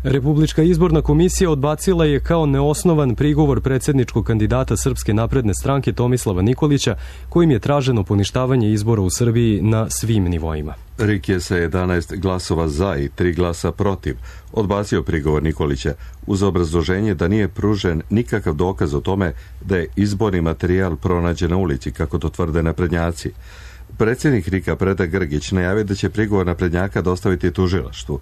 Republička izborna komisija odbacila je kao neosnovan prigovor predsjedničkog kandidata Srpske napredne stranke Tomislava Nikolića, kojim je traženo poništavanje izbora u Srbiji na svim nivoima. RIK je sa 11 glasova za i 3 glasa protiv odbacio prigovor Nikolića uz obrazloženje da nije pružen nikakav dokaz o tome da je izborni materijal pronađen na ulici, kako to tvrde naprednjaci. Predsjednik RIK-a Predrag Grgić najavio da će prigovor naprednjaka dostaviti tužilaštvu.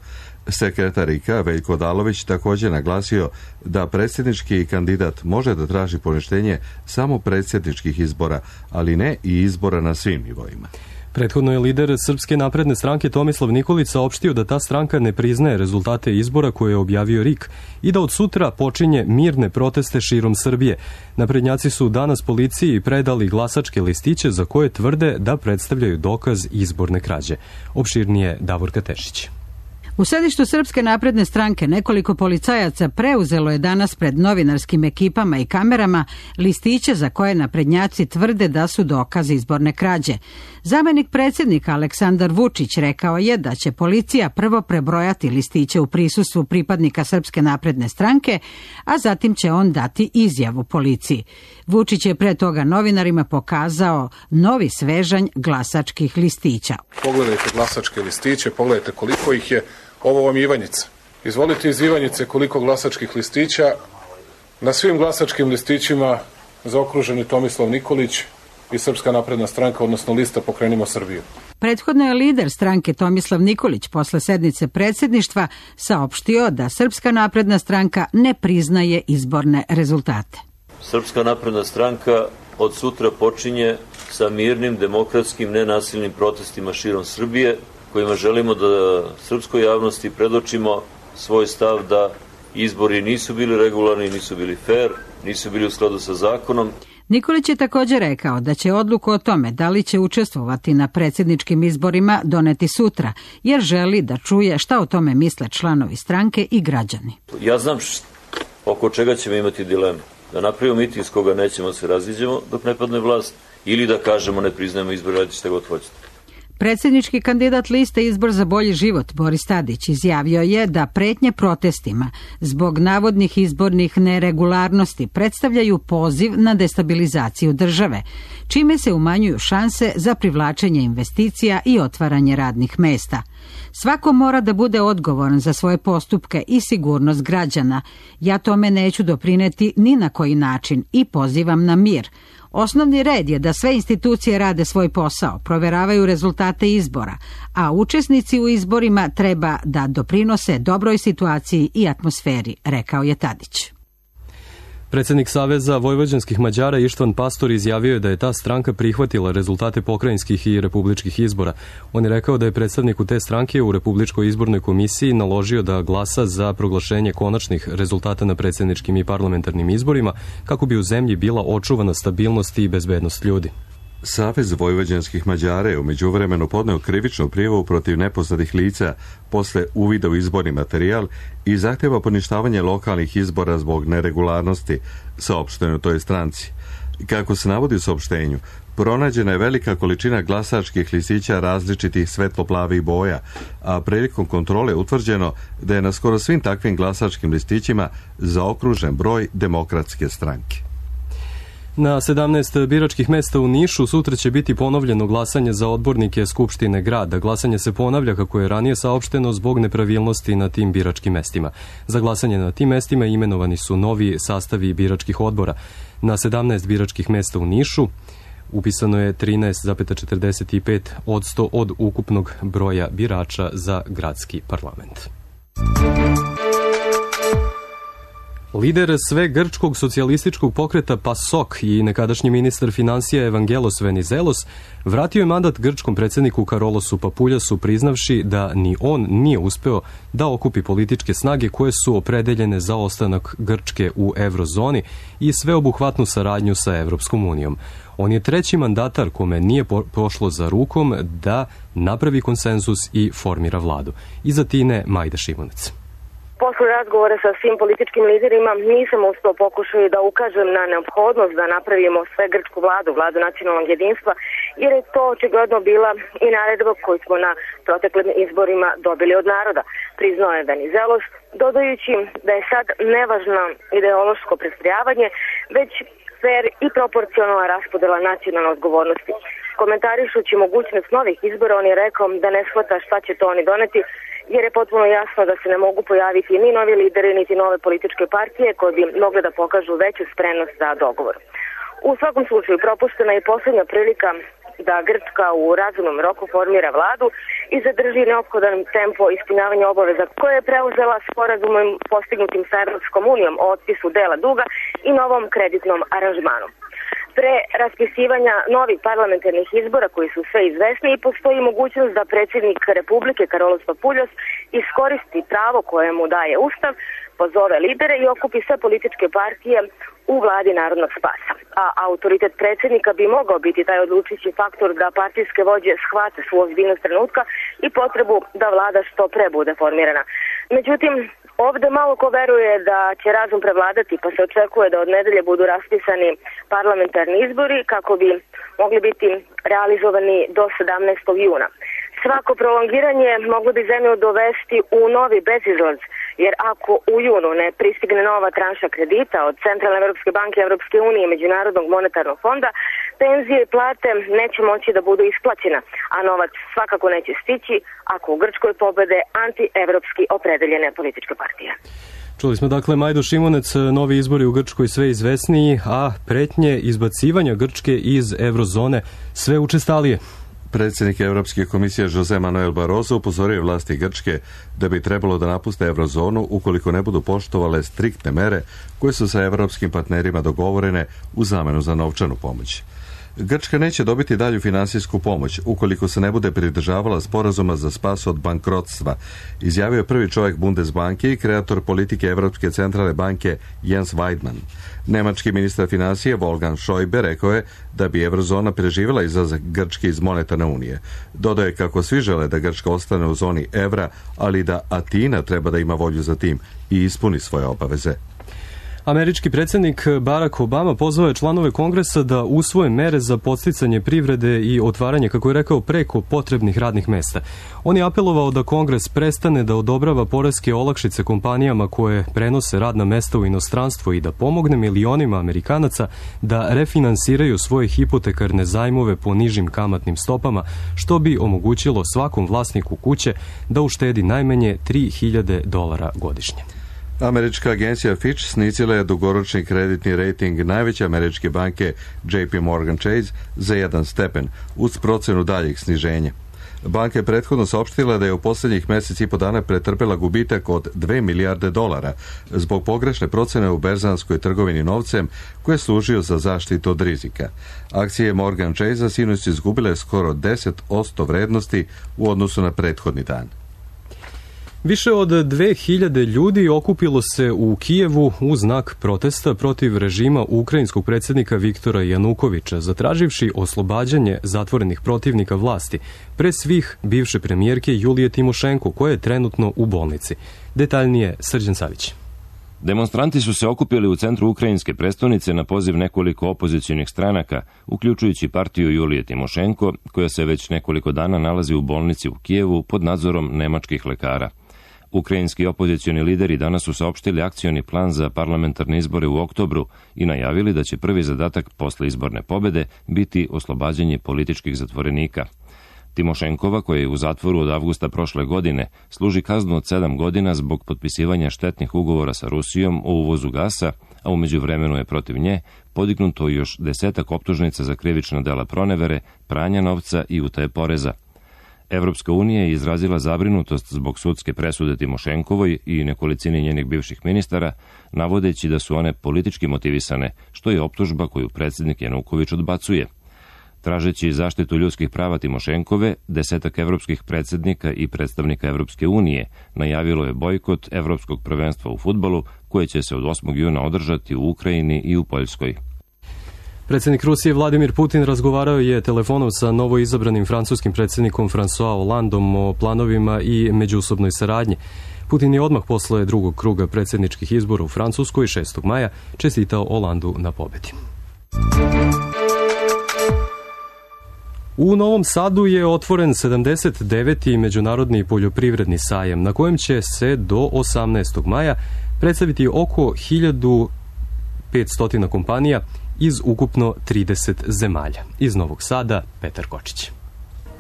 Sekretar RIK-a Veljko Odalović također naglasio da predsjednički kandidat može da traži poništenje samo predsjedničkih izbora, ali ne i izbora na svim nivoima. Prethodno je lider Srpske napredne stranke Tomislav Nikolić saopštio da ta stranka ne priznaje rezultate izbora koje je objavio RIK i da od sutra počinje mirne proteste širom Srbije. Naprednjaci su danas policiji predali glasačke listiće za koje tvrde da predstavljaju dokaz izborne krađe. Opširnije Davorka Tešić. U sedištu Srpske napredne stranke nekoliko policajaca preuzelo je danas pred novinarskim ekipama i kamerama listiće za koje naprednjaci tvrde da su dokazi izborne krađe. Zamenik predsjednika Aleksandar Vučić rekao je da će policija prvo prebrojati listiće u prisustvu pripadnika Srpske napredne stranke, a zatim će on dati izjavu policiji. Vučić je pre toga novinarima pokazao novi svežanj glasačkih listića. Pogledajte glasačke listiće, pogledajte koliko ih je. Ovo vam je Ivanjica. Izvolite iz Ivanjice koliko glasačkih listića. Na svim glasačkim listićima zaokruženi Tomislav Nikolić i Srpska napredna stranka, odnosno lista Pokrenimo Srbiju. Prethodno je lider stranke Tomislav Nikolić posle sednice predsjedništva saopštio da Srpska napredna stranka ne priznaje izborne rezultate. Srpska napredna stranka od sutra počinje sa mirnim, demokratskim, nenasilnim protestima širom Srbije, kojima želimo da srpskoj javnosti predočimo svoj stav da izbori nisu bili regularni, nisu bili fair, nisu bili u skladu sa zakonom. Nikolić je također rekao da će odluku o tome da li će učestvovati na predsjedničkim izborima doneti sutra, jer želi da čuje šta o tome misle članovi stranke i građani. Ja znam oko čega ćemo imati dilemu. Da napravimo miting s koga nećemo se raziđemo dok ne padne vlast, ili da kažemo ne priznajemo izbor, radite šta god hoćete. Predsjednički kandidat liste Izbor za bolji život Boris Tadić izjavio je da pretnje protestima zbog navodnih izbornih neregularnosti predstavljaju poziv na destabilizaciju države, čime se umanjuju šanse za privlačenje investicija i otvaranje radnih mesta. Svako mora da bude odgovoran za svoje postupke i sigurnost građana. Ja tome neću doprineti ni na koji način i pozivam na mir. Osnovni red je da sve institucije rade svoj posao, proveravaju rezultate izbora, a učesnici u izborima treba da doprinose dobroj situaciji i atmosferi, rekao je Tadić. Predsjednik Saveza vojvođanskih Mađara Ištvan Pastor izjavio je da je ta stranka prihvatila rezultate pokrajinskih i republičkih izbora. On je rekao da je predstavniku te stranke u Republičkoj izbornoj komisiji naložio da glasa za proglašenje konačnih rezultata na predsjedničkim i parlamentarnim izborima kako bi u zemlji bila očuvana stabilnost i bezbednost ljudi. Savez vojvođanskih Mađara je u međuvremenu podneo krivičnu prijavu protiv nepoznatih lica posle uvida u izborni materijal i zahtjeva poništavanje lokalnih izbora zbog neregularnosti, saopšteno u toj stranci. Kako se navodi u saopštenju, pronađena je velika količina glasačkih listića različitih svetlo-plavih boja, a prilikom kontrole utvrđeno da je na skoro svim takvim glasačkim listićima zaokružen broj Demokratske stranke. Na 17 biračkih mesta u Nišu sutra će biti ponovljeno glasanje za odbornike Skupštine grada. Glasanje se ponavlja kako je ranije saopšteno zbog nepravilnosti na tim biračkim mestima. Za glasanje na tim mestima imenovani su novi sastavi biračkih odbora. Na 17 biračkih mesta u Nišu upisano je 13,45% od ukupnog broja birača za gradski parlament. Lider svegrčkog socijalističkog pokreta PASOK i nekadašnji ministar finansija Evangelos Venizelos vratio je mandat grčkom predsjedniku Karolosu Papuljasu priznavši da ni on nije uspeo da okupi političke snage koje su opredeljene za ostanak Grčke u eurozoni i sveobuhvatnu saradnju sa Evropskom unijom. On je treći mandatar kome nije pošlo za rukom da napravi konsenzus i formira vladu. Iza Tine Majda Šimunec. Posle razgovora sa svim političkim liderima nisam uspeo pokušaju da ukažem na neophodnost da napravimo sve grčku vladu, vladu nacionalnog jedinstva jer je to očigledno bila i naredba koju smo na proteklim izborima dobili od naroda, priznao je Venizelos, dodajući da je sad nevažno ideološko prestrojavanje, već fair i proporcionalna raspodela nacionalne odgovornosti. Komentarišući mogućnost novih izbora, on je rekao da ne shvata šta će to oni doneti, jer je potpuno jasno da se ne mogu pojaviti ni novi lideri, niti nove političke partije koje bi mogle da pokažu veću spremnost za dogovor. U svakom slučaju propuštena je posljednja prilika da Grčka u razumnom roku formira vladu i zadrži neophodan tempo ispunjavanja obaveza koje je preuzela sporazumom postignutim sa Evropskom unijom o otpisu dela duga i novom kreditnom aranžmanu. Pre raspisivanja novih parlamentarnih izbora koji su sve izvesniji, postoji mogućnost da predsjednik Republike Karolos Papuljas iskoristi pravo koje mu daje Ustav, pozove lidere i okupi sve političke partije u vladi Narodnog spasa. A autoritet predsjednika bi mogao biti taj odlučujući faktor da partijske vođe shvate svu ozbiljnost trenutka i potrebu da vlada što pre bude formirana. Međutim, ovde malo ko veruje da će razum prevladati, pa se očekuje da od nedelje budu raspisani parlamentarni izbori kako bi mogli biti realizovani do 17. juna. Svako prolongiranje moglo bi zemlju dovesti u novi bezizlaz, jer ako u junu ne pristigne nova tranša kredita od Centralne Evropske banke, Evropske unije i Međunarodnog monetarnog fonda, penzije i plate neće moći da budu isplaćena, a novac svakako neće stići ako u Grčkoj pobede antievropski opredeljene političke partije. Čuli smo dakle Majdu Šimunec, novi izbori u Grčkoj sve izvesniji, a pretnje izbacivanja Grčke iz eurozone sve učestalije. Predsjednik Europske komisije Jose Manuel Barroso upozorio vlasti Grčke da bi trebalo da napuste eurozonu ukoliko ne budu poštovale striktne mere koje su sa europskim partnerima dogovorene u zamenu za novčanu pomoć. Grčka neće dobiti dalju finansijsku pomoć ukoliko se ne bude pridržavala sporazuma za spas od bankrotstva, izjavio je prvi čovjek Bundesbanke i kreator politike Europske centralne banke Jens Weidmann. Nemački ministar financije Wolfgang Schäuble rekao je da bi eurozona preživjela izlazak Grčke iz monetarne unije. Dodao je kako svi žele da Grčka ostane u zoni evra, ali da Atina treba da ima volju za tim i ispuni svoje obaveze. Američki predsjednik Barack Obama pozvao je članove Kongresa da usvoje mere za podsticanje privrede i otvaranje, kako je rekao, preko potrebnih radnih mesta. On je apelovao da Kongres prestane da odobrava poreske olakšice kompanijama koje prenose radna mesta u inostranstvo i da pomogne milionima Amerikanaca da refinansiraju svoje hipotekarne zajmove po nižim kamatnim stopama, što bi omogućilo svakom vlasniku kuće da uštedi najmanje $3.000 godišnje. Američka agencija Fitch snizila je dugoročni kreditni rejting najveće američke banke JP Morgan Chase za 1 stepen, uz procenu daljeg sniženja. Banka je prethodno saopštila da je u posljednjih mjesec i po dana pretrpela gubitak od $2 milijarde zbog pogrešne procene u berzanskoj trgovini novcem koje je služio za zaštitu od rizika. Akcije Morgan Chase sinoć su izgubile skoro 10% vrednosti u odnosu na prethodni dan. Više od 2000 ljudi okupilo se u Kijevu u znak protesta protiv režima ukrajinskog predsjednika Viktora Janukovića, zatraživši oslobađanje zatvorenih protivnika vlasti, pre svih bivše premijerke Julije Timošenko, koja je trenutno u bolnici. Detaljnije Srđan Savić. Demonstranti su se okupili u centru ukrajinske prestonice na poziv nekoliko opozicionih stranaka, uključujući partiju Julije Timošenko, koja se već nekoliko dana nalazi u bolnici u Kijevu pod nadzorom nemačkih lekara. Ukrajinski opozicioni lideri danas su saopštili akcioni plan za parlamentarne izbore u oktobru i najavili da će prvi zadatak posle izborne pobede biti oslobađanje političkih zatvorenika. Timošenkova, koja je u zatvoru od avgusta prošle godine, služi kaznu od 7 godina zbog potpisivanja štetnih ugovora sa Rusijom o uvozu gasa, a u međuvremenu je protiv nje podignuto još 10 optužnica za krivična dela pronevere, pranja novca i utaje poreza. Evropska unija je izrazila zabrinutost zbog sudske presude Timošenkovoj i nekolicini njenih bivših ministara, navodeći da su one politički motivisane, što je optužba koju predsjednik Januković odbacuje. Tražeći zaštitu ljudskih prava Timošenkove, 10 evropskih predsjednika i predstavnika Evropske unije najavilo je bojkot Evropskog prvenstva u fudbalu, koje će se od 8. juna održati u Ukrajini i u Poljskoj. Predsjednik Rusije Vladimir Putin razgovarao je telefonom sa novoizabranim francuskim predsjednikom François Hollandom o planovima i međusobnoj saradnji. Putin je odmah posle drugog kruga predsjedničkih izbora u Francuskoj 6. maja čestitao Hollandu na pobedi. U Novom Sadu je otvoren 79. Međunarodni poljoprivredni sajam, na kojem će se do 18. maja predstaviti oko 1500 kompanija iz ukupno 30 zemalja. Iz Novog Sada, Petar Kočić.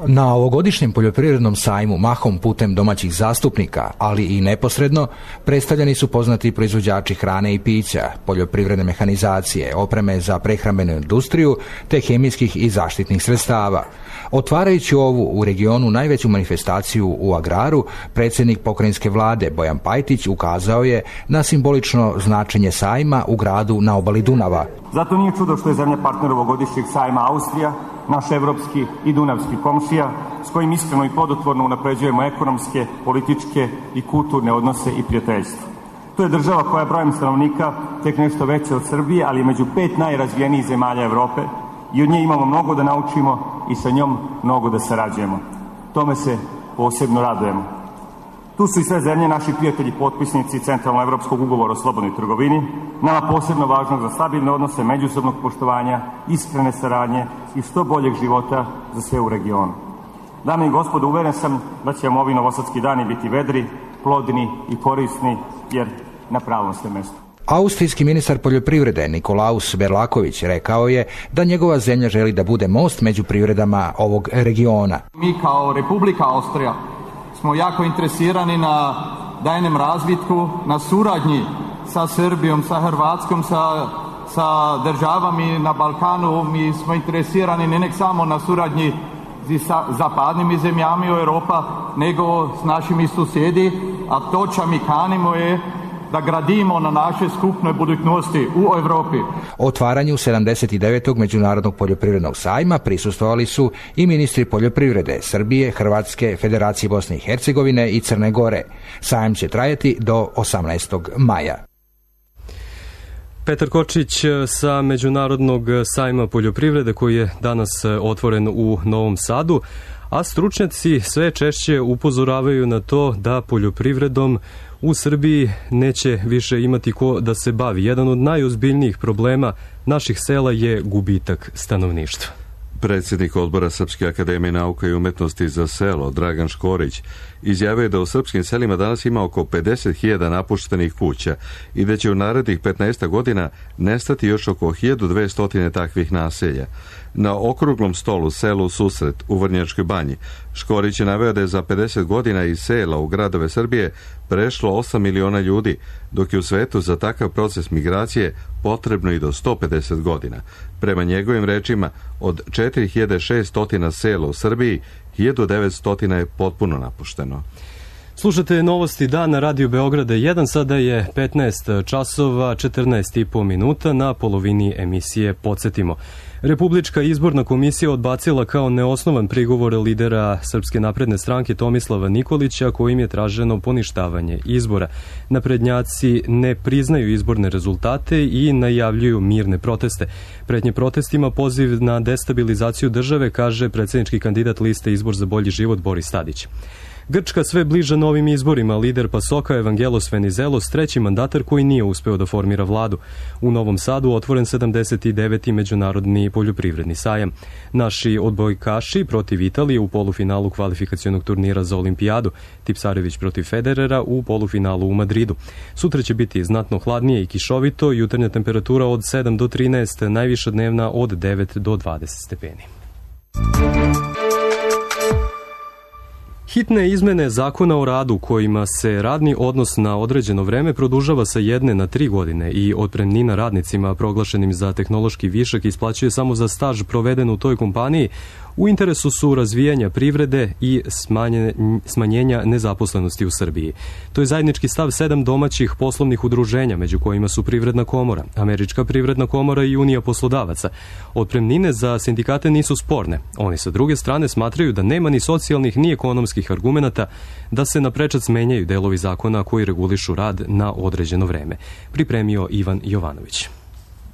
Na ovogodišnjem poljoprivrednom sajmu, mahom putem domaćih zastupnika, ali i neposredno, predstavljeni su poznati proizvođači hrane i pića, poljoprivredne mehanizacije, opreme za prehrambenu industriju, te hemijskih i zaštitnih sredstava. Otvarajući ovu u regionu najveću manifestaciju u agraru, predsjednik pokrajinske vlade Bojan Pajtić ukazao je na simbolično značenje sajma u gradu na obali Dunava. Zato nije čudo što je zemlja partner ovogodišnjeg sajma Austrija, naš evropski i dunavski komšija, s kojim iskreno i plodotvorno unapređujemo ekonomske, političke i kulturne odnose i prijateljstvo. To je država koja je brojem stanovnika tek nešto veća od Srbije, ali među 5 najrazvijenijih zemalja Evrope i od nje imamo mnogo da naučimo i sa njom mnogo da sarađujemo. Tome se posebno radujemo. Tu su i sve zemlje, naši prijatelji, potpisnici Centralno-evropskog ugovora o slobodnoj trgovini, nama posebno važno za stabilne odnose, međusobnog poštovanja, iskrene saradnje i što boljeg života za sve u regionu. Dame i gospodo, uveren sam da će ovi novosadski dani biti vedri, plodni i korisni, jer na pravom ste mjestu. Austrijski ministar poljoprivrede Nikolaus Berlaković rekao je da njegova zemlja želi da bude most među privredama ovog regiona. Mi kao Republika Austrija smo jako interesirani na daljnjem razvitku, na suradnji sa Srbijom, sa Hrvatskom, sa državami na Balkanu. Mi smo interesirani ne samo na suradnji sa zapadnim zemljama Europa, nego s našimi susjedi, a to čo mi kanimo je da gradimo na naše skupnoj budućnosti u Europi. Otvaranju 79. Međunarodnog poljoprivrednog sajma prisustvovali su i ministri poljoprivrede Srbije, Hrvatske, Federacije Bosne i Hercegovine i Crne Gore. Sajam će trajati do 18. maja. Petar Kočić sa Međunarodnog sajma poljoprivrede koji je danas otvoren u Novom Sadu, a stručnjaci sve češće upozoravaju na to da poljoprivredom u Srbiji neće više imati ko da se bavi. Jedan od najozbiljnijih problema naših sela je gubitak stanovništva. Predsjednik odbora Srpske akademije nauka i umetnosti za selo, Dragan Škorić, izjavio je da u srpskim selima danas ima oko 50.000 napuštenih kuća i da će u narednih 15 godina nestati još oko 1200 takvih naselja. Na okruglom stolu selu Susret u Vrnjačkoj Banji, Škorić je naveo da je za 50 godina iz sela u gradove Srbije prešlo 8 miliona ljudi, dok je u svetu za takav proces migracije potrebno i do 150 godina. Prema njegovim rečima, od 4600 sela u Srbiji, 1900 je potpuno napušteno. Slušate novosti dan na Radio Beograda 1, sada je 15 časova 14,5 minuta, na polovini emisije podsjetimo. Republička izborna komisija odbacila kao neosnovan prigovor lidera Srpske napredne stranke Tomislava Nikolića, kojim je traženo poništavanje izbora. Naprednjaci ne priznaju izborne rezultate i najavljuju mirne proteste. Pretnje protestima poziv na destabilizaciju države, kaže predsjednički kandidat liste Izbor za bolji život Boris Tadić. Grčka sve bliža novim izborima, lider PASOK-a Evangelos Venizelos, treći mandatar koji nije uspeo da formira vladu. U Novom Sadu otvoren 79. Međunarodni poljoprivredni sajam. Naši odbojkaši protiv Italije u polufinalu kvalifikacionog turnira za olimpijadu, Tipsarević protiv Federera u polufinalu u Madridu. Sutra će biti znatno hladnije i kišovito, jutarnja temperatura od 7 do 13, najviša dnevna od 9 do 20 stepeni. Hitne izmene zakona o radu kojima se radni odnos na određeno vreme produžava sa 1 na 3 godine i otpremnina radnicima proglašenim za tehnološki višak isplaćuje samo za staž proveden u toj kompaniji, u interesu su razvijanja privrede i smanjenja nezaposlenosti u Srbiji. To je zajednički stav 7 domaćih poslovnih udruženja, među kojima su Privredna komora, Američka privredna komora i Unija poslodavaca. Otpremnine za sindikate nisu sporne. Oni sa druge strane smatraju da nema ni socijalnih ni ekonomskih argumenata da se na prečac menjaju delovi zakona koji regulišu rad na određeno vreme. Pripremio Ivan Jovanović.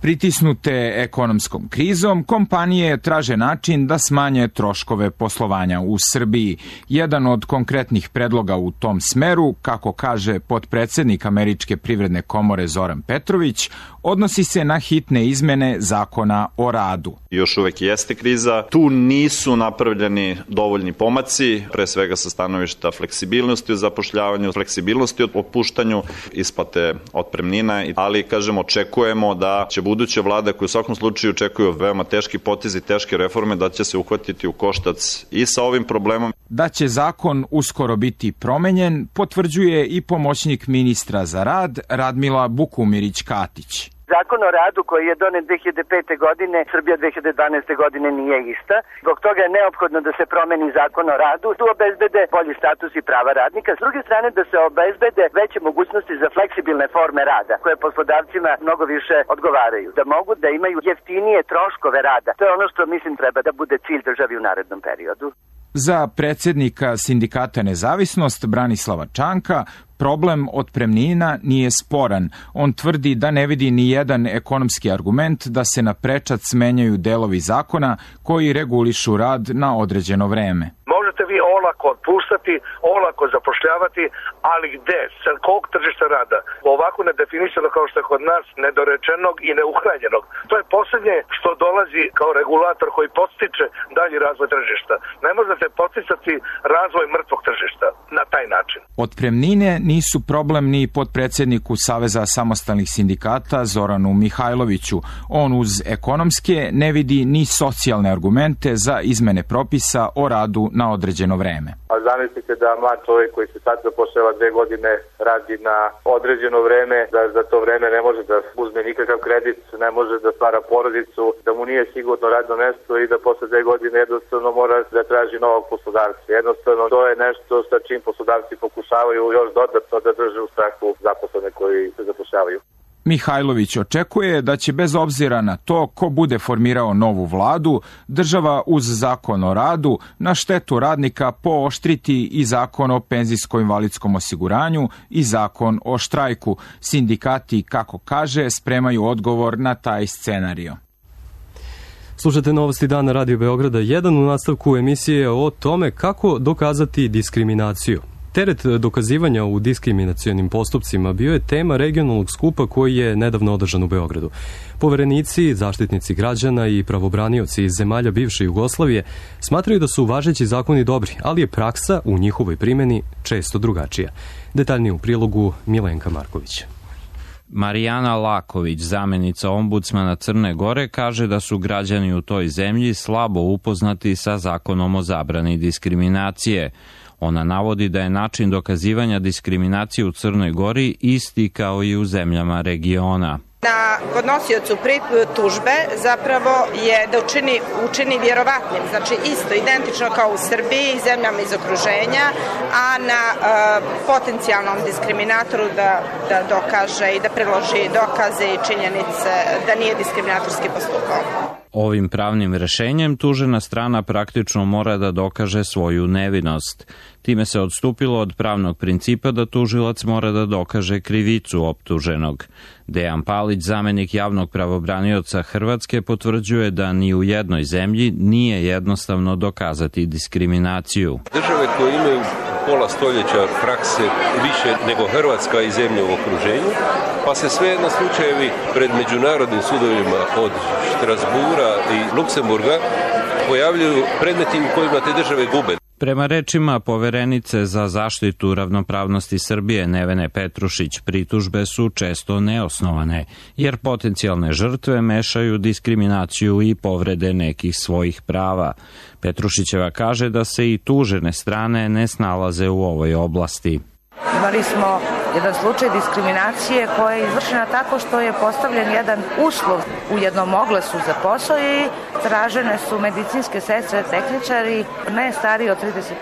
Pritisnute ekonomskom krizom, kompanije traže način da smanje troškove poslovanja u Srbiji. Jedan od konkretnih predloga u tom smeru, kako kaže potpredsednik Američke privredne komore Zoran Petrović, odnosi se na hitne izmene Zakona o radu. Još uvek jeste kriza. Tu nisu napravljeni dovoljni pomaci, pre svega sa stanovišta fleksibilnosti u zapošljavanju, fleksibilnosti u otpuštanju, isplate otpremnina, ali kažemo očekujemo da će buduća vlada, koja u svakom slučaju očekuju veoma teški potezi, teške reforme, da će se uhvatiti u koštac i sa ovim problemom. Da će zakon uskoro biti promenjen, potvrđuje i pomoćnik ministra za rad Radmila Bukumirić-Katić. Zakon o radu koji je donet 2005. godine, Srbija 2012. godine nije ista. Zbog toga je neophodno da se promeni zakon o radu, tu obezbede bolji status i prava radnika. S druge strane da se obezbede veće mogućnosti za fleksibilne forme rada, koje poslodavcima mnogo više odgovaraju. Da mogu da imaju jeftinije troškove rada. To je ono što mislim treba da bude cilj državi u narednom periodu. Za predsjednika Sindikata Nezavisnost Branislava Čanka problem otpremnina nije sporan. On tvrdi da ne vidi ni jedan ekonomski argument da se na prečac menjaju delovi zakona koji regulišu rad na određeno vreme. Možete vi olako otpuštati, olako zapošljavati, ali gde? Sa kog tržišta rada? Ovako nedefinisano kao što je kod nas, nedorečenog i neuhranjenog. To je posljednje što dolazi kao regulator koji podstiče dalji razvoj tržišta. Ne možete podsticati razvoj mrtvog tržišta na taj način. Otpremnine nisu problem ni potpredsjedniku Saveza samostalnih sindikata Zoranu Mihajloviću. On uz ekonomske ne vidi ni socijalne argumente za izmene propisa o radu na određeno vreme. A zamislite da mlad čovjek koji se sad zapošljava 2 godine radi na određeno vreme, da za to vreme ne može da uzme nikakav kredit, ne može da stvara porodicu, da mu nije sigurno radno mesto i da posle 2 godine jednostavno mora da traži novog poslodavca. Jednostavno to je nešto sa čim poslodavci pokušavaju još dodatno da drže u strahu zaposlene koji se zapošljavaju. Mihajlović očekuje da će bez obzira na to ko bude formirao novu vladu, država uz zakon o radu na štetu radnika pooštriti i zakon o penzijsko-invalidskom osiguranju i zakon o štrajku. Sindikati, kako kaže, spremaju odgovor na taj scenario. Slušate Novosti dana Radio Beograda 1 u nastavku emisije o tome kako dokazati diskriminaciju. Teret dokazivanja u diskriminacionim postupcima bio je tema regionalnog skupa koji je nedavno održan u Beogradu. Poverenici, zaštitnici građana i pravobranioci iz zemalja bivše Jugoslavije smatraju da su važeći zakoni dobri, ali je praksa u njihovoj primjeni često drugačija. Detaljnije u prilogu Milenka Marković. Marijana Laković, zamenica ombudsmana Crne Gore, kaže da su građani u toj zemlji slabo upoznati sa zakonom o zabrani diskriminacije. Ona navodi da je način dokazivanja diskriminacije u Crnoj Gori isti kao i u zemljama regiona. Na podnosiocu tužbe zapravo je da učini vjerovatnim, znači isto, identično kao u Srbiji i zemljama iz okruženja, a na potencijalnom diskriminatoru da dokaže i da priloži dokaze i činjenice da nije diskriminatorski postupao. Ovim pravnim rešenjem tužena strana praktično mora da dokaže svoju nevinost. Time se odstupilo od pravnog principa da tužilac mora da dokaže krivicu optuženog. Dejan Palić, zamenik javnog pravobranioca Hrvatske, potvrđuje da ni u jednoj zemlji nije jednostavno dokazati diskriminaciju. Države koje imaju pola stoljeća prakse više nego Hrvatska i zemlje u okruženju, pa se sve na slučajevi pred međunarodnim sudovima od Štrasbura i Luksemburga pojavljuju predmeti u kojima te države gube. Prema rečima poverenice za zaštitu ravnopravnosti Srbije Nevene Petrušić, pritužbe su često neosnovane, jer potencijalne žrtve mešaju diskriminaciju i povrede nekih svojih prava. Petrušićeva kaže da se i tužene strane ne snalaze u ovoj oblasti. Imali smo jedan slučaj diskriminacije koja je izvršena tako što je postavljen jedan uslov u jednom oglasu za posao i tražene su medicinske sestre, tehničari, ne stariji od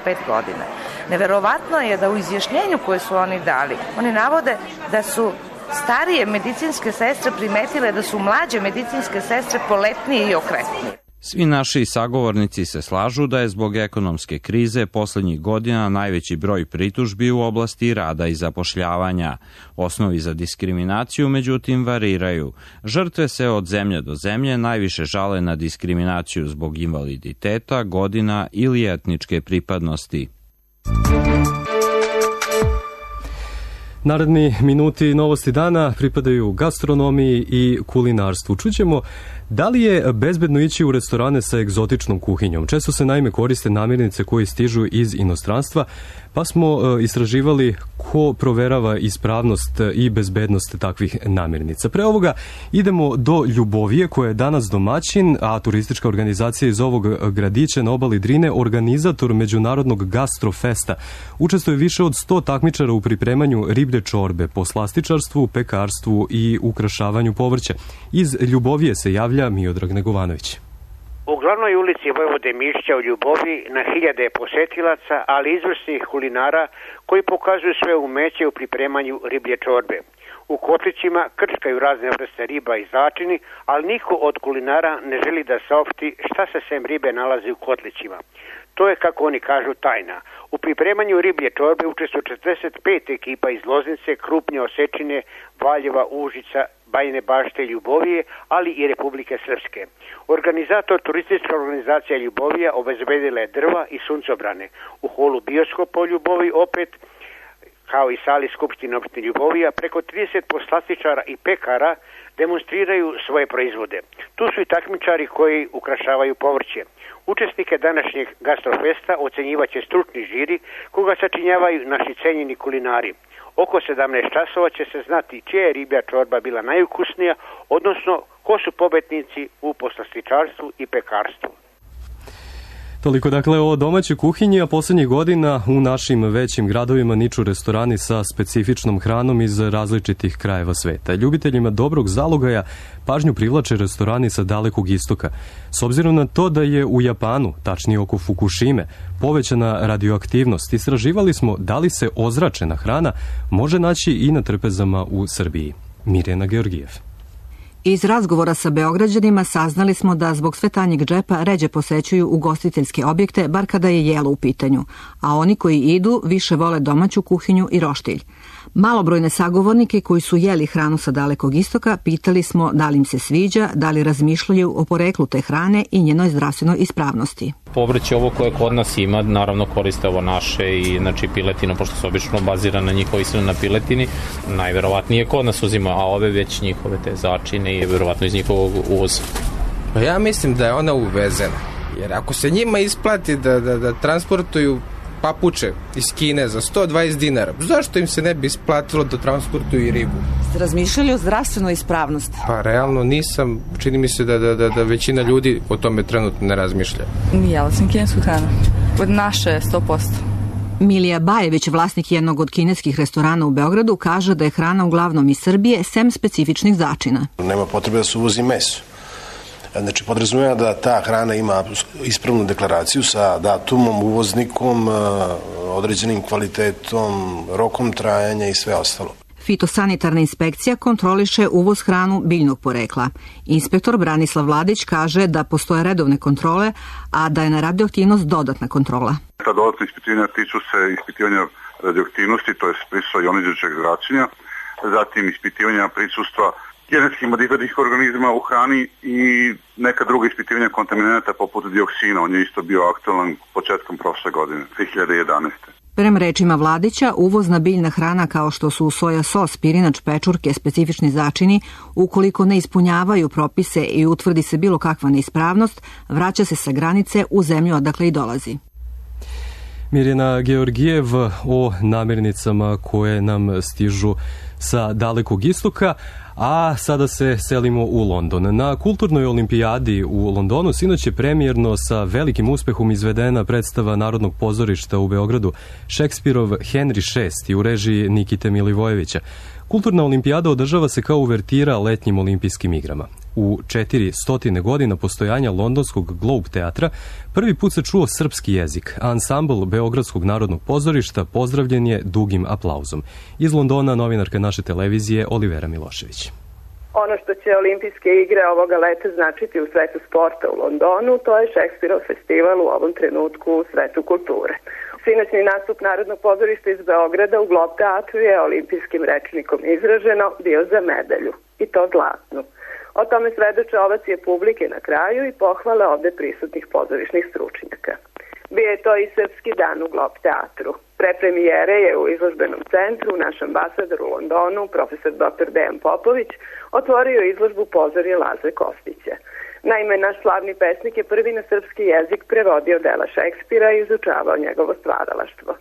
35 godina. Neverovatno je da u izjašnjenju koje su oni dali, oni navode da su starije medicinske sestre primetile da su mlađe medicinske sestre poletnije i okretnije. Svi naši sagovornici se slažu da je zbog ekonomske krize poslednjih godina najveći broj pritužbi u oblasti rada i zapošljavanja. Osnovi za diskriminaciju, međutim, variraju. Žrtve se od zemlje do zemlje najviše žale na diskriminaciju zbog invaliditeta, godina ili etničke pripadnosti. Naredni minuti novosti dana pripadaju gastronomiji i kulinarstvu. Čućemo da li je bezbedno ići u restorane sa egzotičnom kuhinjom. Često se naime koriste namirnice koje stižu iz inostranstva, pa smo istraživali ko proverava ispravnost i bezbednost takvih namirnica. Pre ovoga idemo do Ljubovije, koja je danas domaćin, a turistička organizacija iz ovog gradića na obali Drine, organizator Međunarodnog gastrofesta. Učestvuje više od 100 takmičara u pripremanju riblje čorbe, poslastičarstvu, pekarstvu i ukrašavanju povrća. Iz Ljubovije se javlja Miodrag Negovanović. U glavnoj ulici Vojvode Mišića u Ljubovi na hiljade posetilaca, ali izvrsnih kulinara koji pokazuju sve umeće u pripremanju riblje čorbe. U kotlićima krčkaju razne vrste riba i začini, ali niko od kulinara ne želi da saopšti šta se sem ribe nalazi u kotlićima. To je, kako oni kažu, tajna. U pripremanju riblje čorbe učestvuje 45 ekipa iz Loznice, Krupnje, Osečine, Valjeva, Užica, Bajine Bašte, Ljubovije, ali i Republike Srpske. Organizator turistička organizacija Ljubovija obezbedila je drva i suncobrane. U holu bioskopa u Ljubovi opet, kao i sali Skupštine opštine Ljubovija, preko 30 poslastičara i pekara demonstriraju svoje proizvode. Tu su i takmičari koji ukrašavaju povrće. Učesnike današnjeg gastrofesta ocenjivaće stručni žiri koga sačinjavaju naši cenjeni kulinari. Oko 17 časova će se znati čija je riblja čorba bila najukusnija, odnosno ko su pobednici u poslastičarstvu i pekarstvu. Toliko dakle o domaćoj kuhinji, a poslednjih godina u našim većim gradovima niču restorani sa specifičnom hranom iz različitih krajeva sveta. Ljubiteljima dobrog zalogaja pažnju privlače restorani sa Dalekog istoka. S obzirom na to da je u Japanu, tačnije oko Fukushime, povećana radioaktivnost, istraživali smo da li se ozračena hrana može naći i na trpezama u Srbiji. Mirjana Georgijev. Iz razgovora sa Beograđanima saznali smo da zbog sve tanjeg džepa ređe posećuju ugostiteljske objekte, bar kada je jelo u pitanju, a oni koji idu više vole domaću kuhinju i roštilj. Malobrojne sagovornike koji su jeli hranu sa Dalekog istoka pitali smo da li im se sviđa, da li razmišljaju o poreklu te hrane i njenoj zdravstvenoj ispravnosti. Povrće ovo koje kod nas ima, naravno koriste ovo naše i znači piletinu, pošto se obično bazira na njihovi ishranu na piletini, najverovatnije kod nas uzima, a ove već njihove te začine i verovatno iz njihovog uvoza. Ja mislim da je ona uvezena, jer ako se njima isplati da transportuju papuče iz Kine za 120 dinara, zašto im se ne bi isplatilo da transportuju i ribu? Ste razmišljali o zdravstvenoj ispravnosti? Pa realno nisam, čini mi se da većina ljudi o tome trenutno ne razmišlja. Jela sam kinesku hranu, od naše 100%. Milija Bajević, vlasnik jednog od kineskih restorana u Beogradu, kaže da je hrana uglavnom iz Srbije, sem specifičnih začina. Nema potrebe da se uvozi meso. Znači, podrazumijeva da ta hrana ima ispravnu deklaraciju sa datumom, uvoznikom, određenim kvalitetom, rokom trajanja i sve ostalo. Fitosanitarna inspekcija kontroliše uvoz hranu biljnog porekla. Inspektor Branislav Vladić kaže da postoje redovne kontrole, a da je na radioaktivnost dodatna kontrola. Ta dodatna ispitivanja tiču se ispitivanja radioaktivnosti, to je prisustva ionizirajućeg zračenja, zatim ispitivanja prisustva genetski modifikovanih organizama u hrani i neka druga ispitivanja kontaminanata poput dioksina. On je isto bio aktualan početkom prošle godine, 2011. Prema rečima Vladića, uvozna biljna hrana kao što su soja sos, pirinač, pečurke, specifični začini, ukoliko ne ispunjavaju propise i utvrdi se bilo kakva neispravnost, vraća se sa granice u zemlju odakle i dolazi. Mirjana Georgijev o namirnicama koje nam stižu sa Dalekog istoka, a sada se selimo u London. Na kulturnoj olimpijadi u Londonu sinoć je premijerno sa velikim uspehom izvedena predstava Narodnog pozorišta u Beogradu Šekspirov Henry VI u režiji Nikite Milivojevića. Kulturna olimpijada održava se kao uvertira letnjim olimpijskim igrama. U 400 godina postojanja londonskog Globe teatra prvi put se čuo srpski jezik. Ansambl Beogradskog narodnog pozorišta pozdravljen je dugim aplauzom. Iz Londona novinarka naše televizije Olivera Milošević. Ono što će olimpijske igre ovoga leta značiti u svetu sporta u Londonu, to je Šekspirov festival u ovom trenutku u svetu kulture. Sinoćni nastup Narodnog pozorišta iz Beograda u Glob teatru je olimpijskim rečnikom izraženo bio za medalju, i to zlatnu. O tome svedoče ovacije publike na kraju i pohvale ovde prisutnih pozorišnih stručnjaka. Bio je to i Srpski dan u Glob teatru. Pre premijere je u izložbenom centru naš ambasador u Londonu, profesor dr. Dejan Popović, otvorio izložbu Pozorje Laze Kostića. Naime, naš slavni pesnik je prvi na srpski jezik prevodio dela Šekspira i izučavao njegovo stvaralaštvo.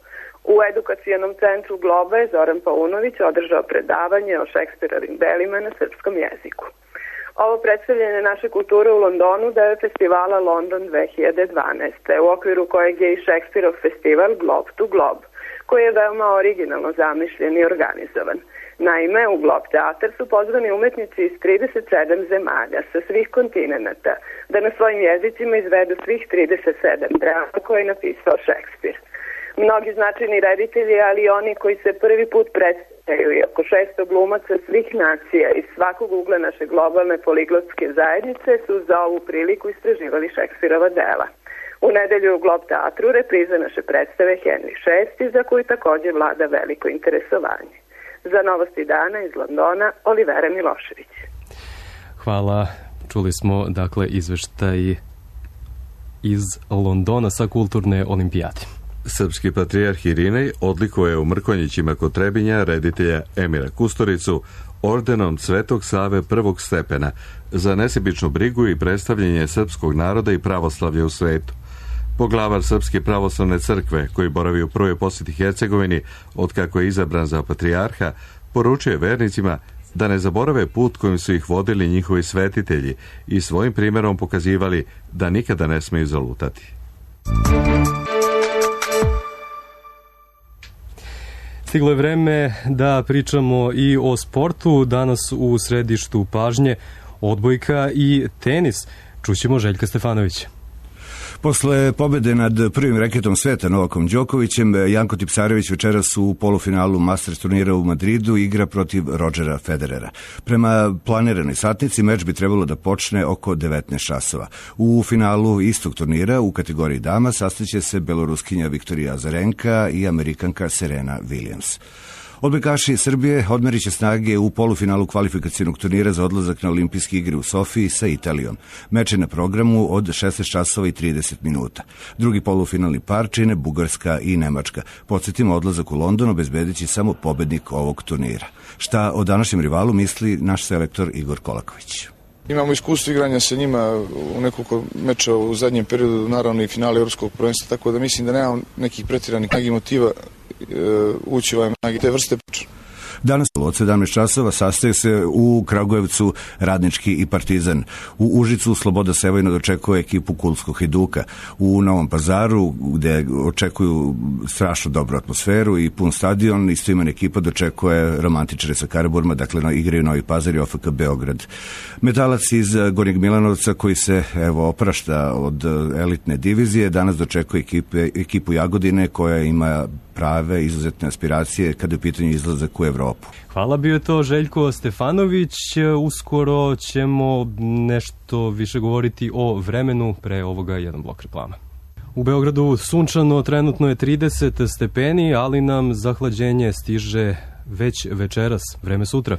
U edukacionom centru Globa je Zoran Paunović održao predavanje o Šekspirovim delima na srpskom jeziku. Ovo predstavljanje naše kulture u Londonu deo je festivala London 2012. u okviru kojeg je i Šekspirov festival Globe to Globe, koji je veoma originalno zamišljen i organizovan. Naime, u Glob teatar su pozvani umetnici iz 37 zemalja sa svih kontinenta da na svojim jezicima izvedu svih 37 drama koje je napisao Šekspir. Mnogi značajni reditelji, ali i oni koji se prvi put predstavljaju i oko 600 glumaca svih nacija iz svakog ugla naše globalne poliglotske zajednice su za ovu priliku istraživali Šekspirova dela. U nedelju u Glob teatru repriza naše predstave Henry VI, za koju takođe vlada veliko interesovanje. Za Novosti dana iz Londona, Olivera Milošević. Hvala. Čuli smo, dakle, izveštaj iz Londona sa kulturne olimpijade. Srpski patrijarh Irinej odlikuje u Mrkonjićima kod Trebinja reditelja Emira Kusturicu ordenom Svetog Save prvog stepena za nesebičnu brigu i predstavljanje srpskog naroda i pravoslavlja u svetu. Poglavar Srpske pravoslavne crkve, koji boravi u prvoj posjeti Hercegovini od kako je izabran za patrijarha, poručuje vernicima da ne zaborave put kojim su ih vodili njihovi svetitelji i svojim primjerom pokazivali da nikada ne smeju zalutati. Stiglo je vreme da pričamo i o sportu. Danas u središtu pažnje odbojka i tenis. Čućemo Željka Stefanovića. Posle pobede nad prvim reketom sveta Novakom Đokovićem, Janko Tipsarević večeras u polufinalu Masters turnira u Madridu igra protiv Rodgera Federera. Prema planiranoj satnici meč bi trebalo da počne oko 19 časova. U finalu istog turnira u kategoriji dama sastaće se beloruskinja Viktorija Azarenka i Amerikanka Serena Williams. Odbojkaši Srbije odmerit će snage u polufinalu kvalifikacionog turnira za odlazak na olimpijske igre u Sofiji sa Italijom. Meč je na programu od 16 časova i 30 minuta. Drugi polufinalni par čine Bugarska i Nemačka. Podsjetimo, odlazak u London obezbedit će samo pobednik ovog turnira. Šta o današnjem rivalu misli naš selektor Igor Kolaković? Imamo iskustvo igranja sa njima u nekoliko meča u zadnjem periodu, naravno i finale Evropskog prvenstva, tako da mislim da nemam nekih pretiranih motiva ući ovaj te vrste priča. Danas od 17 časova sastaje se u Kragujevcu Radnički i Partizan. U Užicu Sloboda Sevojno dočekuje ekipu Kulskog Hajduka. U Novom Pazaru, gde očekuju strašno dobru atmosferu i pun stadion, istoimena ekipa dočekuje romantičare sa Karaburma, dakle igraju Novi Pazar i OFK Beograd. Metalac iz Gornjeg Milanovca, koji se oprašta od elitne divizije, danas dočekuje ekipu Jagodine, koja ima prave izuzetne aspiracije kada je u pitanju izlazak u Evropu. Hvala, bio je to Željko Stefanović. Uskoro ćemo nešto više govoriti o vremenu, pre ovoga jedan blok reklama. U Beogradu sunčano, trenutno je 30 stepeni, ali nam zahlađenje stiže već večeras, vreme sutra.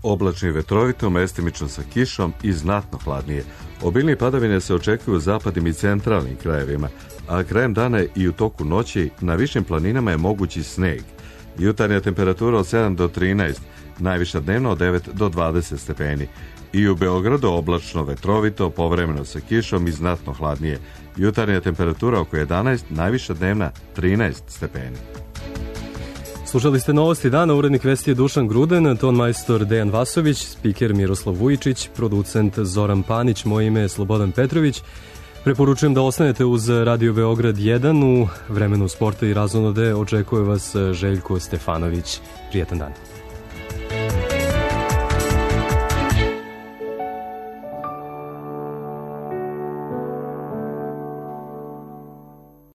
Oblačno i vetrovito, mestimično sa kišom i znatno hladnije. Obilnije padavine se očekuju u zapadnim i centralnim krajevima, a krajem dana i u toku noći na višim planinama je mogući sneg. Jutarnja temperatura od 7 do 13, najviša dnevno od 9 do 20 stepeni. I u Beogradu oblačno, vetrovito, povremeno sa kišom i znatno hladnije. Jutarnja temperatura oko 11, najviša dnevna 13 stepeni. Slušali ste Novosti dana, urednik vesti je Dušan Gruden, ton majstor Dejan Vasović, spiker Miroslav Vujičić, producent Zoran Panić, moje ime je Slobodan Petrović. Preporučujem da ostanete uz Radio Beograd 1 u vremenu sporta i razonode. Očekuje vas Željko Stefanović. Prijetan dan.